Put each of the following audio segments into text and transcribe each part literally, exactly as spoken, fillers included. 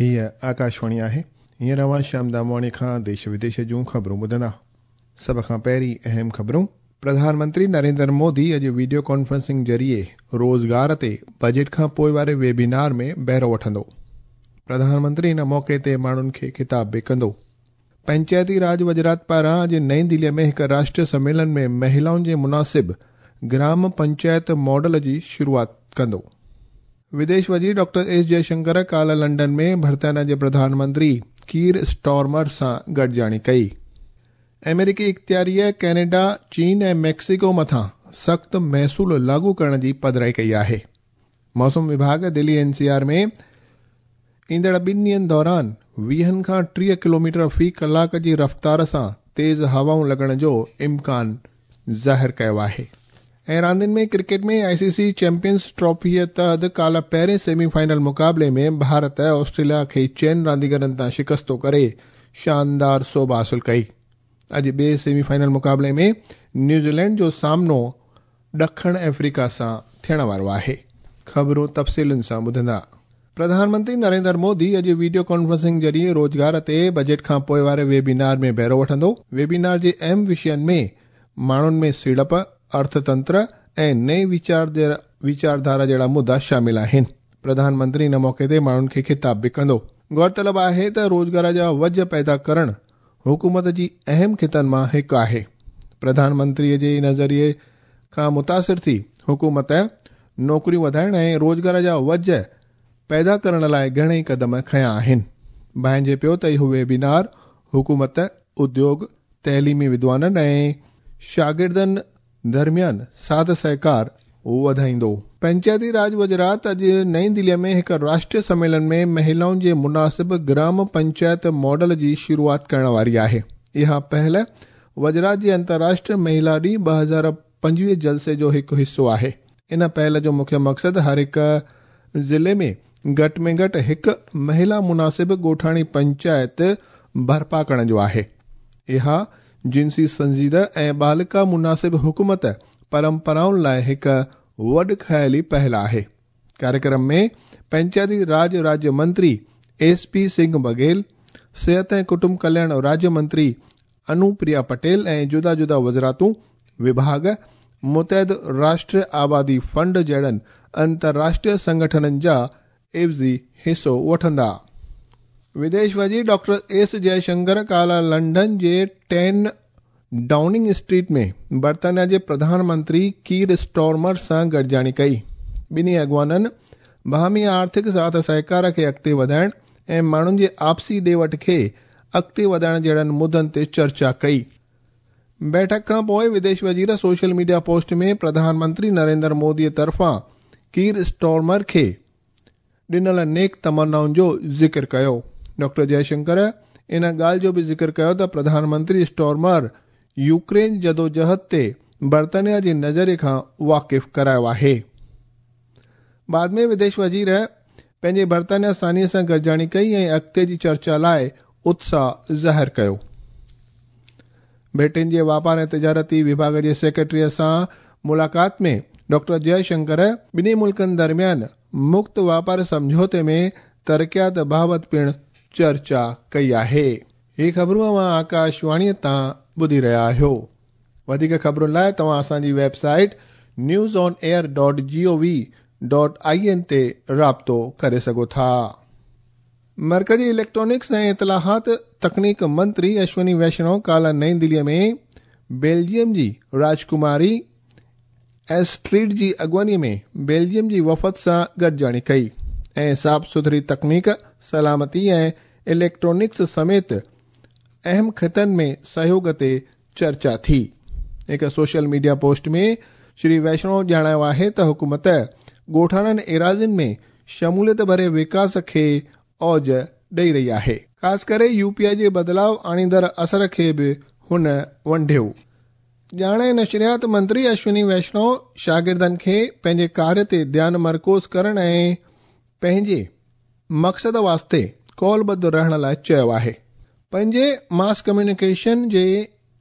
हीअ आकाशवाणी आहे। हींअर अव्हां श्याम दामवाणी खां देश विदेश जूं ख़बरूं ॿुधंदा। सभ खां पहिरीं अहम ख़बरूं। प्रधानमंत्री नरेंद्र मोदी अॼु वीडियो कॉन्फ्रेंसिंग ज़रिए रोज़गार ते बजट खां पोइ वारे वेबिनार में बहिरो वठंदो। प्रधानमंत्री इन मौक़े ते माण्हुनि खे ख़िताब बि कंदो। पंचायती राज वज़ारत पारां अॼु नई दिल्लीअ में हिकु राष्ट्रीय सम्मेलन में महिलाउनि जे मुनासिब ग्राम पंचायत मॉडल जी शुरूआत कंदो। विदेश वज़ीर डॉक्टर एस जयशंकर काल्ह लंडन में बर्तानिया जे प्रधानमंत्री कीर स्टॉर्मर सां गॾिजाणी कई। अमेरिकी इख्तियारीअ कनाडा, चीन ऐं मेक्सिको मथां सख़्तु महसूल लागू करण जी पधराई कई आहे। मौसम विभाग दिल्ली एन सी आर में ईंदड़ ॿिनि ॾींहनि दौरान वीहनि खां टीह किलोमीटर फ़ी कलाक जी रफ़्तार सां तेज़ हवाऊं लॻण जो इम्कान ज़ाहिर कयो आहे। ऐं रांदियुनि में क्रिकेट में आई सी सी चैंपियंस ट्रॉफीअ तहत काल्ह पहिरें सेमीफाइनल मुक़ाबले में भारत ऑस्ट्रेलिया खे चइनि रांदीगरनि तां शिकस्तो करे शानदार सोभ हासिल कई। अॼु ॿिए सेमीफाइनल मुक़ाबले में न्यूज़ीलैंड जो सामनो ॾखण अफ्रीका सां थियण वारो आहे। ख़बरूं तफ़सीलुनि सां ॿुधंदा। प्रधानमंत्री नरेंद्र मोदी अॼु वीडियो कॉन्फ्रेंसिंग ज़रिए रोज़गार ते बजट खां पोइ वारे वेबिनार में बहिरो वठंदो। वेबिनार जे अहम विषयनि में माण्हुनि में सीड़प, अर्थतंत्र ऐं नई वीचार वीचारधारा जहिड़ा मुद्दा शामिल आहिनि। प्रधानमंत्री इन मौक़े ते माण्हुनि खे ख़िताब बि कंदो। गौरतलब आहे त रोज़गार जा वज पैदा करण हुकूमत जी अहम ख़ितनि मां हिकु आहे। प्रधानमंत्रीअ जे नज़रिए खां मुतासिर थी हुकूमत नौकरियूं वधाइण ऐं रोज़गार जा वज पैदा करण लाइ घणेई कदम खयां आहिनि। भांइजे पियो त इहो वेबिनार हुकूमत, उद्योग, तइलीमी विद्वाननि ऐं शागिर्दनि दरमियान साथ सहकार वधाईंदो। पंचायती राज वज़ारत अॼु नई दिल्लीअ में हिकु राष्ट्रीय सम्मेलन में महिलाउनि जे मुनासिब ग्राम पंचायत मॉडल जी शुरूआत करण वारी आहे। इहा पहल वज़ारत जे अंतर्राष्ट्रीय महिला ॾींहुं ॿ हज़ार पंजवीह जलसे जो हिकु हिसो आहे। इन पहल जो मुख्य मक़सदु हर हिकु ज़िले में घटि में घटि हिकु महिला मुनासिब ॻोठाणी पंचायत बर्पा करण जो आहे। इहा जिनसी संजीदा ऐं बालिका मुनासिब हुकूमत परंपराउनि लाइ हिकु वॾ ख़याली पहल आहे। कार्यक्रम में पंचायती राज राज्य मंत्री एस पी सिंह बघेल, सिहत ऐं कुटुंब कल्याण राज्य मंत्री अनुप्रिया पटेल ऐं जुदा जुदा वज़ारतूं, विभाग, मुतहद राष्ट्रीय आबादी फंड जहिड़नि अंतर्राष्ट्रीय संगठननि जा एवज़ी हिसो वठंदा। विदेश वज़ीर डॉक्टर एस जयशंकर काल्ह London J ten Downing street में बर्तानिया जे प्रधानमंत्री कीर स्टॉर्मर सां गॾिजाणी कई। ॿिन्ही अॻवाननि बाहमी आर्थिक साथ सहकार खे अॻिते वधाइण ऐं माण्हुनि जे आपसी ॾे वठ खे अॻिते वधाइण जहिड़नि मुद्दनि ते चर्चा कई। बैठक खां पोइ विदेश वज़ीर सोशल मीडिया पोस्ट में प्रधानमंत्री नरेंद्र मोदीअ तरफ़ां कीर स्टॉर्मर खे ॾिनल नेक तमन्नाउनि जो ज़िक्र कयो। डॉक्टर जयशंकर इन ॻाल्हि जो बि ज़िक्र कयो त प्रधानमंत्री स्टॉर्मर यूक्रेन जदोजहद ते बर्तानिया जे नज़रिए खां वाक़िफ़ करायो आहे। बाद में विदेश वज़ीर पंहिंजे बर्तानिया सानीअ सां गॾिजाणी कई ऐं अॻिते जी चर्चा लाइ उत्साह ज़ाहिर कयो। ब्रिटेन जे वापार ऐं तिजारती विभाग जे सेक्रेटरीअ सां मुलाक़ात में डॉक्टर जयशंकर ॿिन्ही मुल्कनि दरमियान मुक्त वापार सम्झौते में तरक़ियात बाबति पिणु चर्चा कई आहे। ही ख़बरूं अव्हां आकाशवाणीअ तां ॿुधी रहिया आहियो। वधीक ख़बरुनि लाइ तव्हां असांजी website news on air dot G O V dot I N ते राब्तो करे सघो था। मरकज़ी इलेक्ट्रॉनिक्स ऐं इतलाहात तकनीक मंत्री अश्विनी वैष्णव काल्ह नई दिल्लीअ में बेल्जियम जी राजकुमारी एस्ट्रीड जी अॻुवानीअ में बेल्जियम जी वफ़द सां गॾिजाणी कई ऐं साफ़ सुथरी तकनीक, सलामती ऐं इलेक्ट्रॉनिक्स समेत अहम ख़ितनि में सहयोग ते चर्चा थी। हिकु सोशल मीडिया पोस्ट में श्री वैष्णव ॼाणायो आहे त हुकूमत ॻोठाणनि एराज़ियुनि में शमूलियत भरे विकास खे औज ॾेई रही आहे। ख़ासि करे यूपीआई जे बदिलाव आणींदड़ असर खे बि हुन वंढियो। ॼाण ऐं नशरियात मंत्री अश्विनी वैष्णव शागिर्दनि खे पंहिंजे कार्य ते ध्यानु मरकूज़ करण ऐं पंहिंजे मक़सद वास्ते कौलबद्ध रहण लाइ चयो आहे। पंहिंजे मास कम्यूनिकेशन जे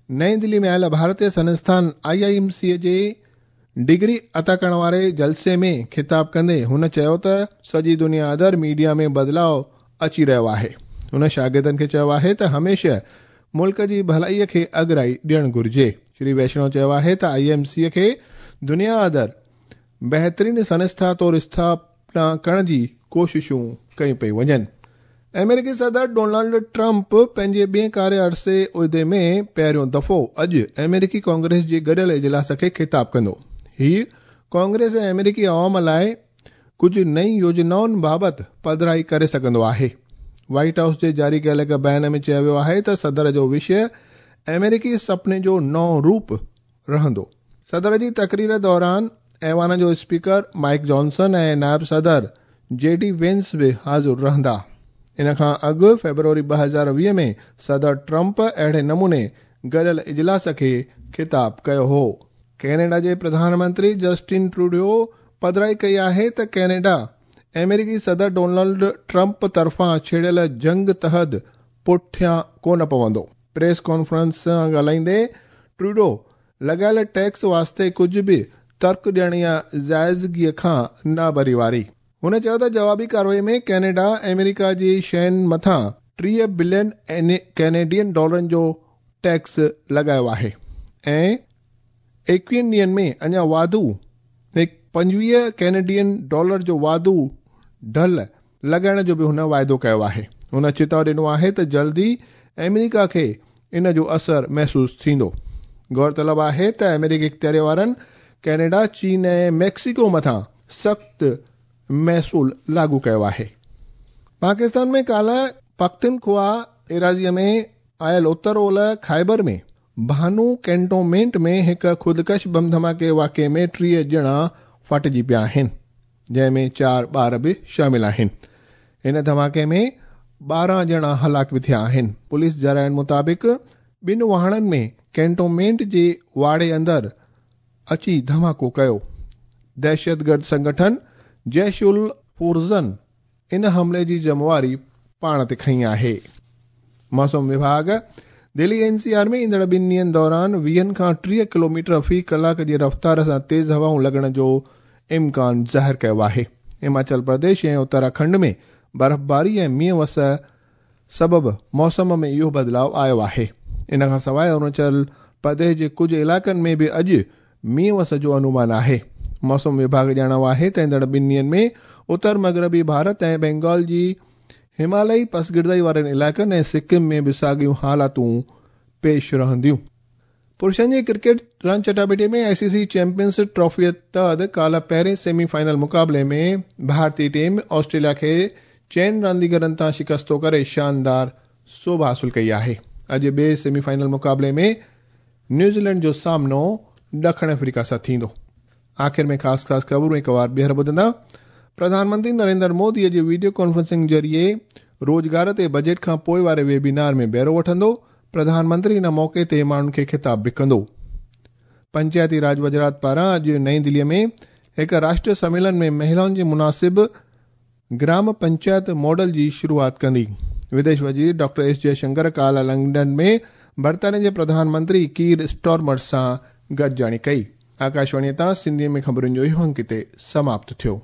नई दिल्ली में आयल भारतीय संस्थान आई I am C J degree अता करण वारे जलसे में ख़िताब कंदे हुन चयो त सॼी दुनिया अंदरि मीडिया में बदिलाव अची रहियो आहे। हुन शागिर्दनि खे चयो आहे त हमेशह मुल्क जी भलाईअ खे अगराई ॾियणु घुरिजे। श्री वैष्णव चयो आहे त I M C खे दुनिया अंदरि बहितरीन संस्था तौर स्थापना करण जी कोशिशूं कयूं पई वञनि। अमेरिकी सदर डोनाल्ड ट्रंप पंहिंजे ॿिए कार्य अरसे उहिदे में पहिरियों दफ़ो अॼु अमेरिकी कांग्रेस जे गॾियल इजलास खे ख़िताब कंदो। हीउ कांग्रेस ऐं अमेरिकी अवाम लाइ कुझु नई योजनाउनि बाबति पधराई करे सघंदो आहे। व्हाइट हाउस जे जारी कयल हिकु बयान में चयो वियो आहे त सदर जो विषय अमेरिकी सपने जो नओं रूप रहंदो। सदर जी तकरीर दौरान ऐवान जो स्पीकर माइक जॉनसन ऐं नायब सदर जे डी वेंस बि हाज़िर रहंदा। इन खां अॻु फेब्रुअरी ॿ हज़ार वीह में सदर ट्रंप अहिड़े नमूने गॾियल इजलास खे ख़िताब कयो हो। कैनेडा जे प्रधानमंत्री जस्टिन ट्रूडो पधराई कई आहे त कैनेडा अमेरिकी सदर डोनाल्ड ट्रंप तरफ़ां छेड़ियल जंग तहत पुठियां कोन पवंदो। प्रेस कॉन्फ्रेंस सां ॻाल्हाईंदे ट्रूडो लॻायल टैक्स वास्ते कुझु बि तर्क ॾियण या जाइज़गीअ खां नाबरी वारी। हुन चयो त जवाबी कार्रवाई में कैनेडा अमेरिका जी शयुनि मथां टीह बिलियन कैनेडियन डॉलरनि जो टैक्स लॻायो आहे ऐं एकवीहनि ॾींहनि में अञा वाधू पंजवीह कैनेडियन डॉलर जो वाधू ढल लॻाइण जो बि हुन वाइदो कयो आहे। हुन चिताव ॾिनो आहे त जल्दी अमेरिका खे इन जो असर महसूसु थींदो। गौरतलब आहे त अमेरिकी इख़्तियारी वारनि कैनेडा, चीन ऐं मैक्सिको मथां सख़्तु महसूल लागू कयो आहे। पाकिस्तान में काल्ह पख्तूनख्वा एराज़ीअ में आयल उत्तर ओलह ख़ैबर में भानू कैंटोनमेंट में हिकु ख़ुदकश बम धमाके वाक़े में टीह ॼणा फाटिजी पिया आहिनि, जंहिंमें चारि ॿार बि शामिल आहिनि। हिन धमाके में ॿारहं ॼणा हलाक बि थिया आहिनि। पुलिस ज़राइनि मुताबिक़ ॿिनि वाहणनि में कैंटोनमेंट जे वाड़े अंदरि अची धमाको कयो। दहशतगर्द संगठन जैश उल फुरज़न इन हमले जी ज़िम्मेवारी पाण ते खई आहे। मौसम विभाग दिल्ली एन सी आर में ईंदड़ ॿिनि ॾींहनि दौरान वीहनि खां टीह किलोमीटर फ़ी कलाक जी रफ़्तार सां तेज़ हवाऊं लॻण जो इम्कान ज़ाहिर कयो आहे। हिमाचल प्रदेश ऐं उत्तराखंड में बर्फ़बारी ऐं मींहुं वस सबबु मौसम में इहो बदिलाव आयो आहे। इन खां सवाइ अरुणाचल प्रदेश जे कुझु इलाइक़नि में बि अॼु मींहुं वस जो अनुमान आहे। मौसम विभाग ॼाणायो आहे त ईंदड़ ॿिनि ॾींहनि में उत्तर मग़रबी भारत ऐं बंगाल जी हिमालयी पसगिर्दाई वारनि इलाइक़नि ऐं सिक्किम में बि साॻियूं हालातूं पेश रहंदियूं। पुरुषनि जे क्रिकेट रांदि चटापटी में आई सी सी चैंपियंस ट्रॉफीअ तहत काल्ह पहिरें सेमीफाइनल मुक़ाबले में भारतीय टीम ऑस्ट्रेलिया खे चइनि रांदीगरनि तां शिकस्तो करे शानदार सोभ हासिल कई आहे। अॼु ॿिए सेमीफाइनल मुक़ाबले में न्यूज़ीलैंड जो सामनो ॾखिण अफ्रीका सां थींदो। आख़िर में ख़ासि ख़ासि ख़बरूं हिकु वार ॿीहर ॿुधंदा। प्रधानमंत्री नरेंद्र मोदी अॼु वीडियो कॉन्फ्रेंसिंग ज़रिए रोज़गार ते बजट खां पोइ वारे वेबिनार में बहिरो वठंदो। प्रधानमंत्री इन मौक़े ते माण्हुनि खे ख़िताब बि कंदो। पंचायती राज वज़ारत पारां अॼु नई दिल्लीअ में हिकु राष्ट्रीय सम्मेलन में महिलाउनि जे मुनासिब ग्राम पंचायत मॉडल जी शुरूआत कंदी। विदेश वज़ीर डॉक्टर एस जयशंकर काल्ह लंदन में बर्तानिया जे प्रधानमंत्री कीर स्टॉर्मर सां गॾिजाणी कई। आकाशवाणीअ तां सिंधीअ में ख़बरुनि जो इहो अंक हिते समाप्त थियो।